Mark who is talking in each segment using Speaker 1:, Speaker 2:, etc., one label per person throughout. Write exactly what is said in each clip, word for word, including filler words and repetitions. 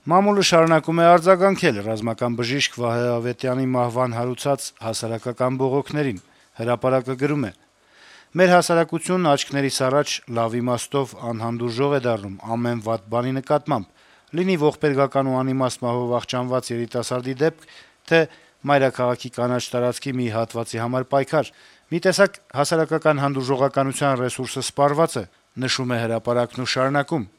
Speaker 1: Մամուլը շարունակում է արձագանքել ռազմական բժիշկ Վահե Ավետյանի մահվան հարուցած հասարակական բողոքներին։ Հրապարակը գրում է. - «Մեր հասարակությունն աչքներիս առաջ լավ իմաստով անհանդուրժող է դառնում ամեն վատ բանի նկատմամբ, լինի ողբերգական ու անիմաստ մահով վախճանված երիտասարդի դեպք, թե մայրաքաղաքի կանաչ տարածքի մի հատվածի համար պայքար։ Մի տեսակ հասարակական հանդուրժողականության ռեսուրսը սպառված է», նշում է հրապարակն ու շարունակում. -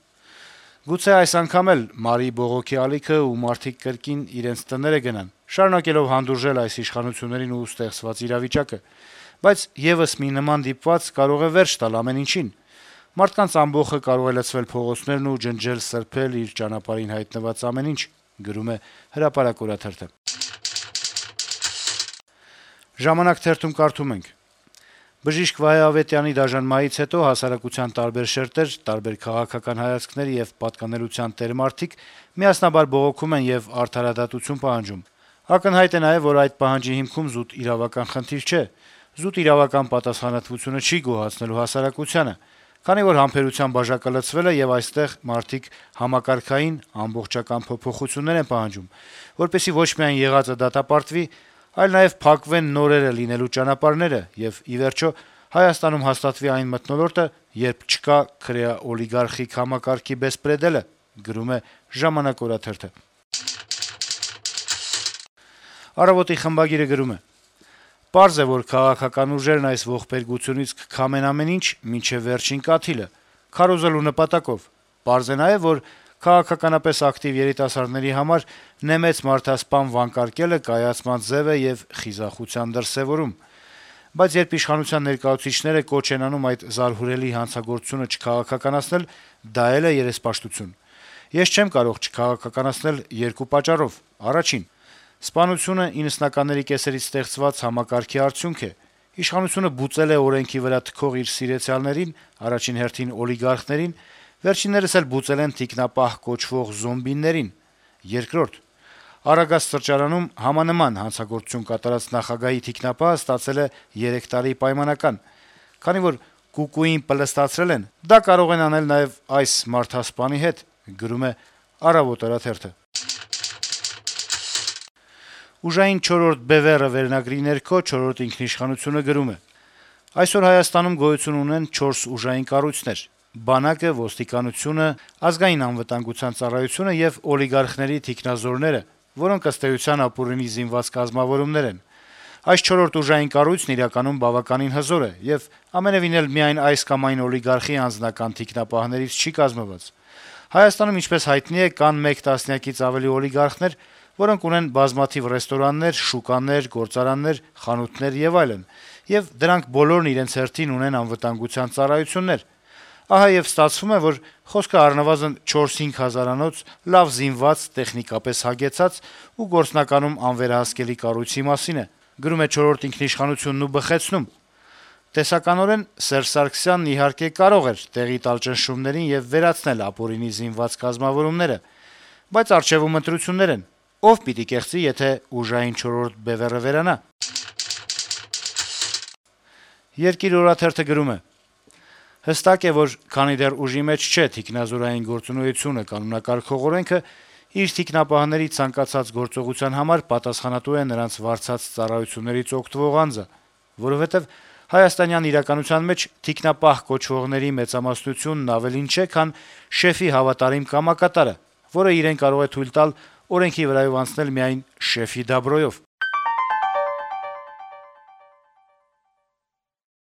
Speaker 1: «Գուցե այս անգամ էլ մարի բողոքի ալիքը ու մարդիկ կրկին իրենց տները գնան, շարունակելով հանդուրժել այս իշխանություններին ու ստեղծված իրավիճակը, բայց եւս մի նման դիպված կարող է վերջ տալ ամեն ինչին։ Մարդկանց ամբոխը կարող է լցվել փողոցներն ու ջնջել, սրբել իր ճանապարհին հայտնված ամեն ինչ», գրում է «Հրապարակ» օրաթերթը։ «Ժամանակ» թերթում կարդում ենք. - «Բժիշկ Վահե Ավետյանի դաժան մահից հետո հասարակության տարբեր շերտեր, տարբեր քաղաքական հայացքների եւ պատկանելության տեր մարդիկ միասնաբար բողոքում են եւ արդարադատություն պահանջում։ Ակնհայտ է նաեւ, որ այդ պահանջի հիմքում զուտ իրավական խնդիր չէ։ Զուտ իրավական պատասխանատվությունը չի գոհացնելու հասարակությանը, քանի որ համբերության բաժակը լցվել է եւ այստեղ մարդիկ համակարգային, ամբողջական փոփոխություններ են պահանջում, որպեսզի ոչ միայն եղածը դատապարտվի, այլ նաեւ փակվեն նորերը լինելու ճանապարհները եւ, ի վերջո, Հայաստանում հաստատվի այն մթնոլորտը, երբ չկա քրեա-օլիգարխիկ համակարգի բեսպրեդելը», գրում է «Ժամանակ» օրաթերթը։ «Առավոտ»-ի խմբագիրը գրում է. - «Պարզ է, որ քաղաքական ուժերն այս ողբերգությունից կքամեն ամեն ինչ, մինչեւ վերջին կաթիլը, քարոզելու նպատակով։ Պարզ է նաեւ, որ քաղաքականապես ակտիվ երիտասարդների համար նեմեց մարդասպան վանկարկելը կայացման ձեւ է եւ խիզախության դրսեւորում։ Բայց երբ իշխանության ներկայացուցիչները կոչ են անում այդ զարհուրելի հանցագործությունը չքաղաքականացնել, դա էլ է երեսպաշտություն։ Ես չեմ կարող չքաղաքականացնել երկու պատճառով. Առաջին՝ սպանությունը իննսնականների կեսերից ստեղծված համակարգի արդյունք է։ Իշխանությունը բուծել է օրենքի վրա թքող իր սիրեցյալներին, առաջին հերթին օլիգարխներին, վերջիններս էլ բուծել են թիկնապահ կոչվող զոմբիներին։ Երկրորդ՝ Արագած սրճարանում համանման հանցագործություն կատարած նախագահի թիկնապահը ստացել է երեք տարի պայմանական։ Քանի որ կուկուին պլստացրել են, դա կարող են անել նաեւ այս մարդասպանի հետ», գրում է «Առավոտ» օրաթերթը։ «Ուժային չորրորդ բեւեռը» վերնագրի ներքո «Չորրորդ ինքնիշխանություն»-ը գրում է. - «Այսօր Հայաստանում գոյություն ունեն չորս ուժային կառույցներ՝ բանակը, ոստիկանությունը, ազգային անվտանգության ծառայությունը եւ օլիգարխների թիկնազորները, որոնք ըստ էության ապօրինի զինված կազմավորումներ են։ Այս չորրորդ ուժային կառույցն իրականում բավականին հզոր է եւ ամենեւին էլ միայն այս կամ այն օլիգարխի անձնական թիկնապահներից չի կազմված։ Հայաստանում, ինչպես հայտնի է, կան մեկ տասնյակից ավելի օլիգարխներ, որոնք ունեն բազմաթիվ ռեստորաններ, շուկաներ, գործարաններ, խանութներ եւ այլն, եւ դրանք բոլորն իրենց հերթին ունեն անվտանգության ծառայություններ։ Ահա եւ ստացվում է, որ խոսքը առնվազն չորս-հինգ հազարանոց, լավ զինված, տեխնիկապես հագեցած ու գործնականում անվերահսկելի կառույցի մասին է», գրում է «Չորրորդ ինքնիշխանությունն» ու բխեցնում. -«Տեսականորեն Սերժ Սարգսյանն իհարկե կարող էր տեղի տալ ճնշումներին եւ վերացնել ապօրինի զինված կազմավորումները, բայց առջեւում ընտրություններ են։ Ո՞վ պիտի կեղծի, եթե ուժային չորրորդ բեւեռը վերանա»։ «Երկիր» օրաթերթը գրում է. - «Հստակ է, որ քանի դեռ ուժի մեջ չէ թիկնազորային գործունեությունը կանոնակարգող օրենքը, իր թիկնապահների ցանկացած գործողության համար պատասխանատու է նրանց վարձած ծառայություններից օգտվող անձը, որովհետեւ հայաստանյան իրականության մեջ թիկնապահ կոչվողների մեծամասնությունն ավելին չէ, քան շեֆի հավատարիմ կամակատարը, որը իրեն կարող է թույլ տալ օրենքի վրայով անցնել միայն շեֆի դաբրոյով։